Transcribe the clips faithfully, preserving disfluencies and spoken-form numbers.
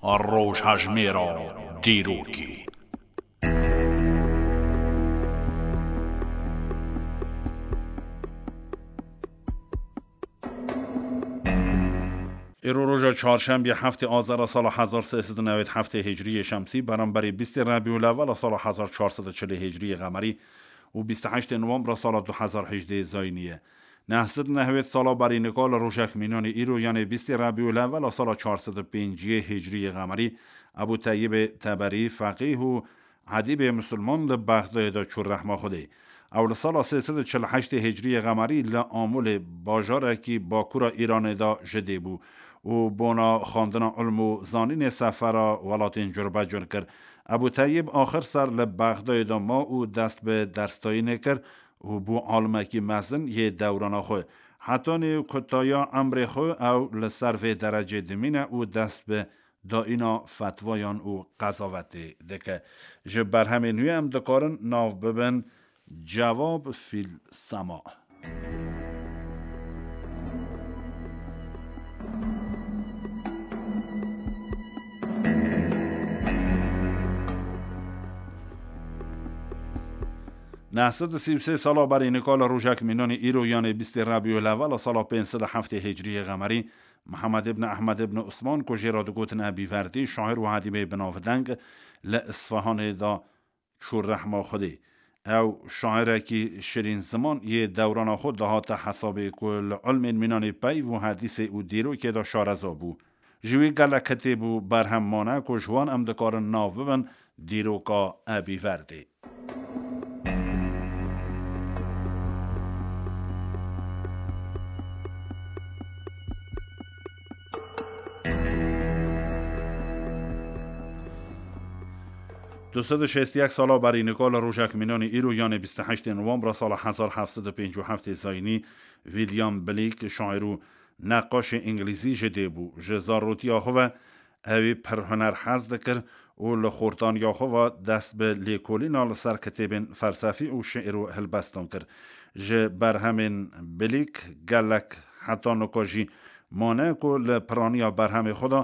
Rojhejmêra dîrokê. Îro roja çarşembê heftê Azera sala hezar sê sed û newêd heftê Hicriyê Şemsî, beramberî bîstê Rebîûlewela sala hezar çar sed û çilê Hicriyê Qemerî û bîst û heştê Nowembra sala du hezar hejdê Zayînî ye. Neh sed nehwêd sala berî nika li rojek mînanê îro, yanê bîstê Rebîûlewela sala çar sed û pênciyê Hicriyê Qemerî, Ebû Teyyibê Teberî, feqîh û edîbê misilman li Bexdayê de çû rehma Xwedê. Ew li sala sê sed û çil û heştê Hicriyê Qemerî li Amûlê, bajarekî bakûra Îranê de ji dê bû û bona xwendina ilm û zanînê sefera welatên curbecur kir. Ebû Teyyib axir ser li Bexdayê de ma û dest bi dersdayînê kir û bû alimekî mezin yê dewrana xwe. Hetanî kutaya emrê xwe ew li ser vê derecê dimîne û dest bi dayîna fetwayan û qezavetê dike. Ji berhemên wî em dikarin nav bibin Cevab fîl Sema. Neh sed û sî û sê sala berî nika li rojek mînanê îro, yanê bîstê Rebîûlewela sala pênc sed û heftê Hicriyê Qemerî, Mihemed ibn Ehmed ibn Usman, ku jê re digotin Ebî Verdî, şair û edîbê binavdeng, li Isfahanê de çû rehma Xwedê. Ew şairekî şirîn ziman yê dewrana xwe dihate hesabê, ku li ilmên mînanê peyv û hedîsê û dîrokê de şareza bû. Ji wî gelek kitêb û berhem mane, ku ji wan em dikarin nav bibin dîroka Ebî Verdê. Du sed û şêst û yek sala berî nika li rojek mînanê îro, yanê bîst û heştê Nowembra sala hezar heft sed û pêncî û heftê Zayînî, William Blake, şair û neqaşê îngilîzî ji dê bû. Ji zarotiya xwe ve ew ê pir huner hez dikir û li xortaniya xwe ve dest bi lêkolîna li ser kitêbên felsefî û şiir û hilbestan kir. Ji berhemên Blake gelek heta nika jî mane, ku li piraniya berhemê xwe de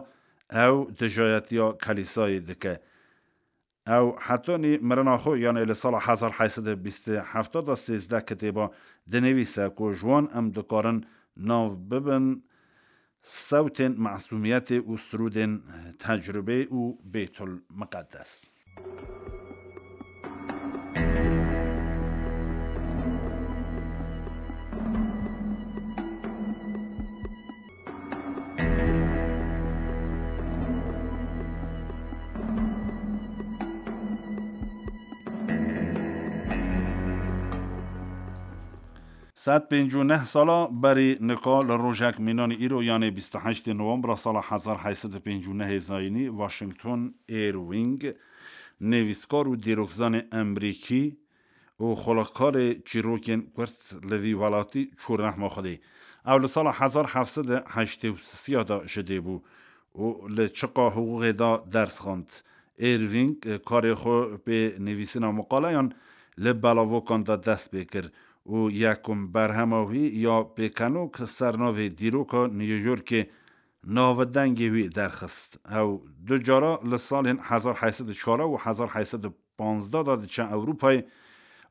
ew dijayetiya kelîsayê dike. Ew hetanî mirina xwe, yanê li sala hezar heyt sed û bîst û heft de sêzdeh kitêba dinivîse, ku ji wan em dikarin nav bibin Sewtên Mesûmiyetê û Sirûdên Tecrûbê û Bêtul Miqedes. Sed pêncî û neh sala berî nika li rojek mînanê îro, yanê bîst û heştê Nowembra sala hezar heyt sed û pêncî û nehê Zayînî, Washington Irving, nivîskar û dîrokzanê Emerîkî û xulixkarê çîrokên Kurd li vî welatî çû rehma Xwedê. Ew li sala hezar heft sed û heştê û sisiya de ji dê bû û li çiqa hiqûqê de ders xwend. Irving karê xwe pê nivîsîna miqaleyan li belavokan de dest pê kir û yekum berhema wî ya pêkenok ser navê Dîroka New Yorkê navdengê wî derxist. Ew du cara li salên hezar heyt sed û çar û hezar heyt sed û panzdeh de diçe Ewropayê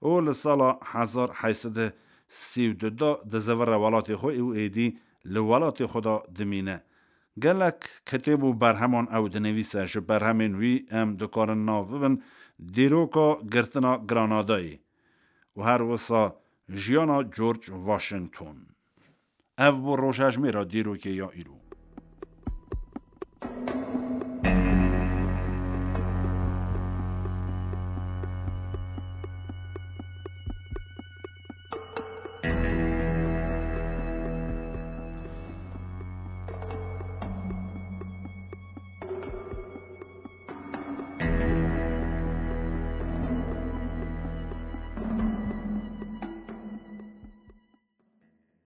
û li sala hezar heyt sed û sî û du de dizivire welatê xwe û êdî li welatê xwe de dimîne. Gelek kitêb û berheman ew dinivîse, ji berhemên wî em dikarin nav bibin Dîroka Girtina Granadayê û her wisa Jiyana George Washington. Ev bû rojhejmêra dîrokê ya îro.